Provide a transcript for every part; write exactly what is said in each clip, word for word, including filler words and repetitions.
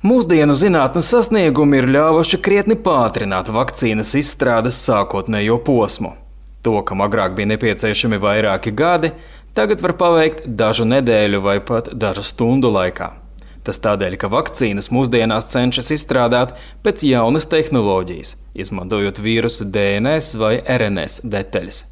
Mūsdienu zinātnes sasniegumi ir ļāvuši krietni pātrināt vakcīnas izstrādes sākotnējo posmu. To, kam agrāk bija nepieciešami vairāki gadi, tagad var paveikt dažu nedēļu vai pat dažu stundu laikā. Tas tādēļ, ka vakcīnas mūsdienās cenšas izstrādāt pēc jaunas tehnoloģijas, izmantojot vīrusu D N S vai R N S detaļas.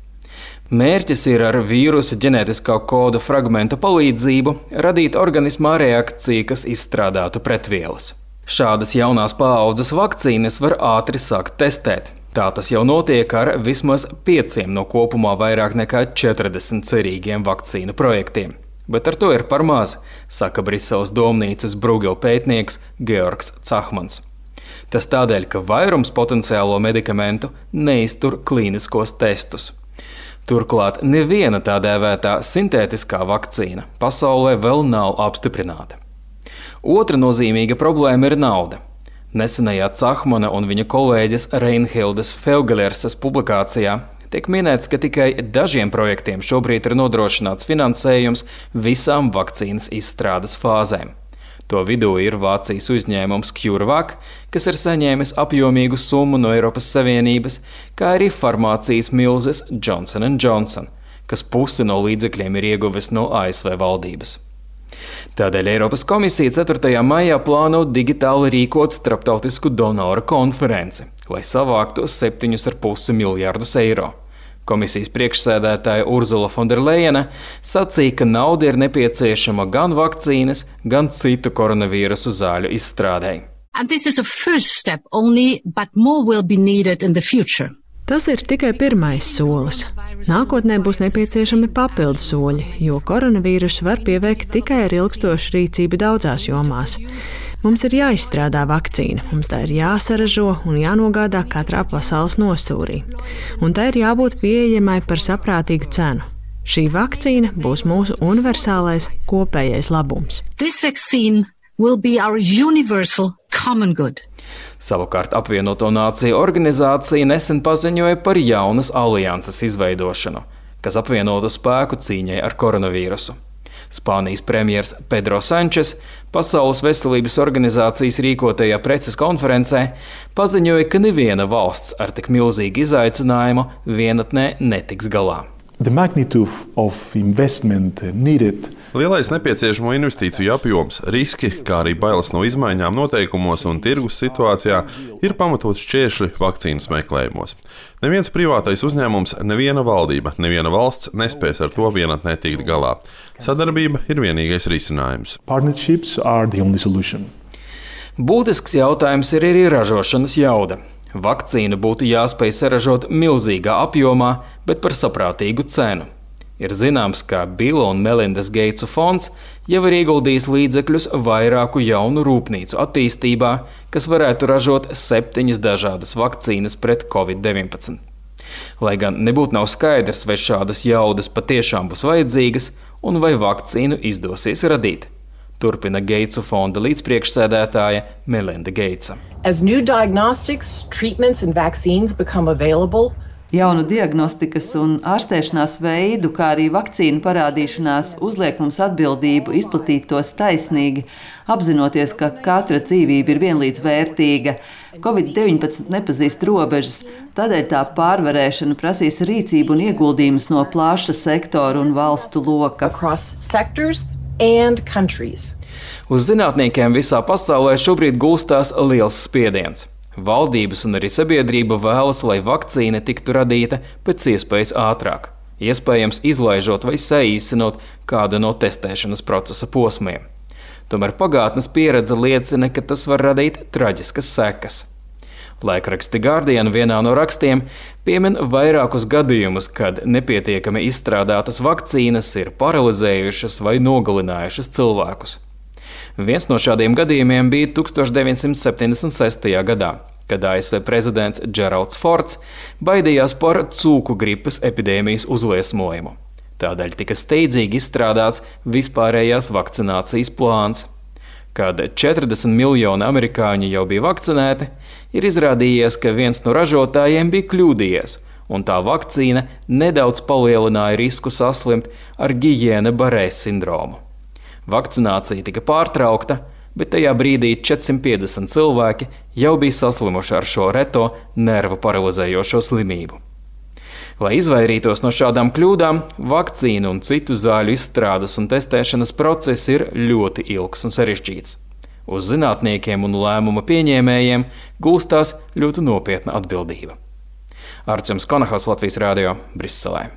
Mērķis ir ar vīrusa ģenētiskā koda fragmenta palīdzību radīt organismā reakciju, kas izstrādātu pretvielas. Šādas jaunās paaudzes vakcīnas var ātri sākt testēt. Tā tas jau notiek ar vismaz pieciem no kopumā vairāk nekā četrdesmit cerīgiem vakcīnu projektiem. Bet ar to ir par maz, saka Briseles domnīcas Bruegel pētnieks Georgs Cahmans. Tas tādēļ, ka vairums potenciālo medikamentu neiztur klīniskos testus. Turklāt neviena tā dēvētā sintētiskā vakcīna pasaulē vēl nav apstiprināta. Otra nozīmīga problēma ir nauda. Nesenajā Cahmana un viņa kolēģes Reinhildes Feugelers publikācijā tiek minēts, ka tikai dažiem projektiem šobrīd ir nodrošināts finansējums visām vakcīnas izstrādes fāzēm. To vidū ir Vācijas uzņēmums CureVac, kas ir saņēmis apjomīgu summu no Eiropas Savienības, kā arī farmācijas milzes Johnson and Johnson, kas pusi no līdzekļiem ir ieguvis no A S V valdības. Tādēļ Eiropas komisija ceturtajā maijā plāno digitāli rīkot starptautisku donoru konferenci, lai savāktu septiņus ar pusi miljardus eiro. Komisijas priekšsēdētāja Urzula Fonderlejena sacīja, ka nauda ir nepieciešama gan vakcīnas, gan citu koronavīrusu zāļu izstrādei. Only, Tas ir tikai pirmais solis. Nākotnē būs nepieciešami papildu soļi, jo koronavīrusu var pieveikt tikai ar ilgstošu rīcību daudzās jomās. Mums ir jāizstrādā vakcīna, mums tā ir jāsaražo un jānogādā katrā pasaules nostūrī. Un tā ir jābūt pieejamai par saprātīgu cenu. Šī vakcīna būs mūsu universālais kopējais labums. This vaccine will be our universal common good. Savukārt apvienoto nāciju organizācija nesen paziņoja par jaunas alianses izveidošanu, kas apvienotu spēku cīņai ar koronavīrusu. Spānijas premjers Pedro Sančes Pasaules veselības organizācijas rīkotajā preses konferencē paziņoja, ka neviena valsts ar tik milzīgu izaicinājumu vienatnē netiks galā. The magnitude of investment needed. Lielais nepieciešamo investīciju apjoms, riski, kā arī bailes no izmaiņām noteikumos un tirgus situācijā ir pamatots šķēršļi vakcīnas meklējumos. Neviens privātais uzņēmums, neviena valdība, neviena valsts nespēs ar to vienatnē tikt galā. Sadarbība ir vienīgais risinājums. Partnerships are the only solution. Būtisks jautājums ir arī ražošanas jauda. Vakcīnu būtu jāspēj saražot milzīgā apjomā, bet par saprātīgu cenu. Ir zināms, ka Billa un Melindas Geitsu fonds jau ir ieguldījis līdzekļus vairāku jaunu rūpnīcu attīstībā, kas varētu ražot septiņas dažādas vakcīnas pret covid deviņpadsmit. Lai gan nebūtu nav skaidrs, vai šādas jaudas patiešām būs vajadzīgas un vai vakcīnu izdosies radīt. Turpina Geitsu fonda līdzpriekšsēdētāja Melinda Geitsa. As new diagnostics, treatments and vaccines become available, Jaunu diagnostikas un ārstēšanās veidu, kā arī vakcīnu parādīšanās uzliek mums atbildību izplatīt tos taisnīgi, apzinoties, ka katra dzīvība ir vienlīdz vērtīga. covid deviņpadsmit nepazīst robežas, tādēļ tā pārvarēšana prasīs rīcību un ieguldījumus no plaša sektora un valstu loka. Across sectors and countries. Uz zinātniekiem visā pasaulē šobrīd gulstās liels spiediens. Valdības un arī sabiedrība vēlas, lai vakcīna tiktu radīta pēc iespējas ātrāk, iespējams izlaižot vai saīsinot kādu no testēšanas procesa posmiem. Tomēr pagātnes pieredze liecina, ka tas var radīt traģiskas sekas. Laikraksti Guardian vienā no rakstiem piemin vairākus gadījumus, kad nepietiekami izstrādātas vakcīnas ir paralizējušas vai nogalinājušas cilvēkus. Viens no šādiem gadījumiem bija tuksstoš deviņsimt septiņdesmit sestajā gadā, kad A S V prezidents Džeralds Fords baidījās par cūku gripas epidēmijas uzliesmojumu. Tādēļ tika steidzīgi izstrādāts vispārējās vakcinācijas plāns. Kad četrdesmit miljoni amerikāņu jau bija vakcinēti, ir izrādījies, ka viens no ražotājiem bija kļūdījies, un tā vakcīna nedaudz palielināja risku saslimt ar Gijēna Barē sindromu. Vakcinācija tika pārtraukta, bet tajā brīdī četrsimt piecdesmit cilvēki jau bija saslimuši ar šo reto nervu paralizējošo slimību. Lai izvairītos no šādām kļūdām, vakcīnu un citu zāļu izstrādes un testēšanas process ir ļoti ilgs un sarežģīts. Uz zinātniekiem un lēmuma pieņēmējiem gulstās ļoti nopietna atbildība. Arčuns Konahals, Latvijas Rādio, Briselē.